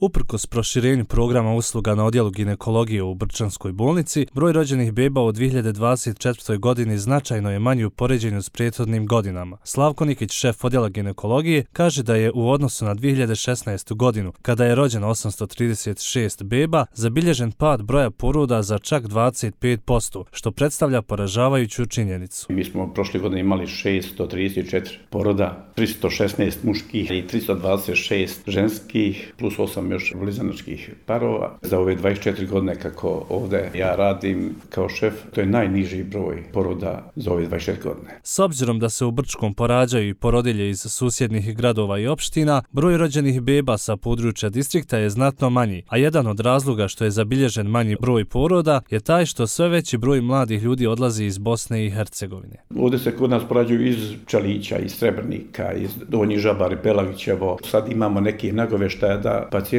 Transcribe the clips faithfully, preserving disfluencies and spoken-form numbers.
Uprkos proširenju programa usluga na odjelu ginekologije u Brčanskoj bolnici, broj rođenih beba u dvije hiljade dvadeset četvrtoj. godini značajno je manji u poređenju s prethodnim godinama. Slavko Nikić, šef odjela ginekologije, kaže da je u odnosu na dvije hiljade šesnaestu. godinu, kada je rođeno osamsto trideset šest beba, zabilježen pad broja poroda za čak dvadeset pet posto, što predstavlja poražavajuću činjenicu. Mi smo prošle godine imali šesto trideset četiri poroda, tristo šesnaest muških i tristo dvadeset šest ženskih, plus osam još blizanačkih parova. Za ove dvadeset četiri godine kako ovdje ja radim kao šef, to je najniži broj poroda za ove dvadeset četiri godine. S obzirom da se u Brčkom porađaju i porodilje iz susjednih gradova i opština, broj rođenih beba sa područja distrikta je znatno manji, a jedan od razloga što je zabilježen manji broj poroda je taj što sve veći broj mladih ljudi odlazi iz Bosne i Hercegovine. Ovdje se kod nas porađuju iz Čalića, iz Srebrnika, iz Donji Žabar, Pelagićevo. Sad imamo neke nagoveštaja da pacijentkinje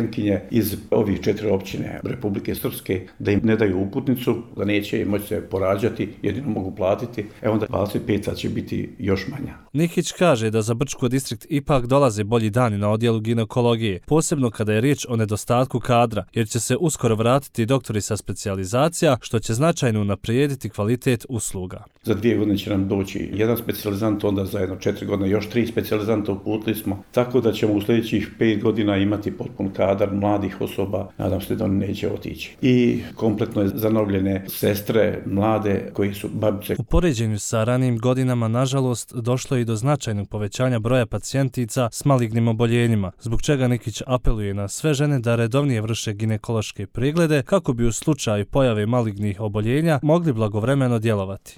iz ovih četiri općine Republike Srpske da im ne daju uputnicu, da neće moći se porađati, jedino mogu platiti, e onda dvadeset pet će biti još manja. Nikić kaže da za Brčko distrikt ipak dolaze bolji dani na odjelu ginekologije, posebno kada je riječ o nedostatku kadra, jer će se uskoro vratiti doktori sa specijalizacija, što će značajno unaprijediti kvalitet usluga. Za dvije godine će nam doći jedan specijalizant, onda za jedno četiri godine još tri specijalizanta uputili smo, tako da ćemo u sljedećih pet godina imati potpun kadar mladih osoba, nadam se da oni neće otići. I kompletno je zanovljene sestre, mlade koji su babice. U poređenju sa ranijim godinama, nažalost, došlo je i do značajnog povećanja broja pacijentica s malignim oboljenjima, zbog čega Nikić apeluje na sve žene da redovnije vrše ginekološke preglede kako bi u slučaju pojave malignih oboljenja mogli blagovremeno djelovati.